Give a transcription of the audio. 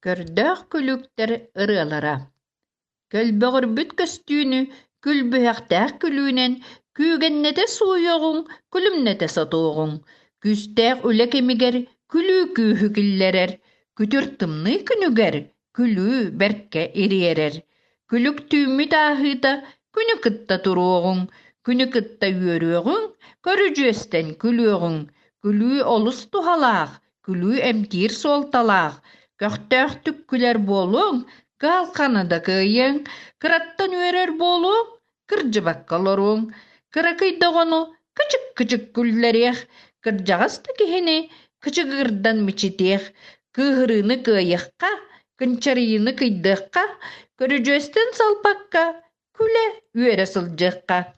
Көрдөөх күлүктэр ырыалара Көлбөҕүрбүт көстүүнү күлбүһэхтээх күлүүнэн күүгэннэтэ сууйуоҕуҥ, күлүмнэтэ сотуоҕуҥ. Күүстээх үлэ кэмигэр күлүү күүһү киллэрэр, күтүр тымныы күнүгэр күлүү бэркэ ириэрэр. Күлүк түүммүт ааһыыта күнү кытта туруоҕуҥ, күнү кытта үөрүөҕүҥ, көрүдьүөстэн күлүөҕүҥ. Күлүү олус туһалаах, күлүү эмтиир суолталаах, көхтөөхтүк күлэр буолуоҥ, кыһалҕаны да кыайыаҥ, кыраттан үөрэр буолуоҥ, кырдьыбакка олоруоҥ, кыракый да оҕону кычык-кычык күллэриэх, кырдьаҕас да киһини кычыгырдан мичитиэх, кыыһырыыны кыайыахха, кынчарыйыыны кыйдыахха, көрүдьүөстэн салпакка күлэ-үөрэ сылдьыахха.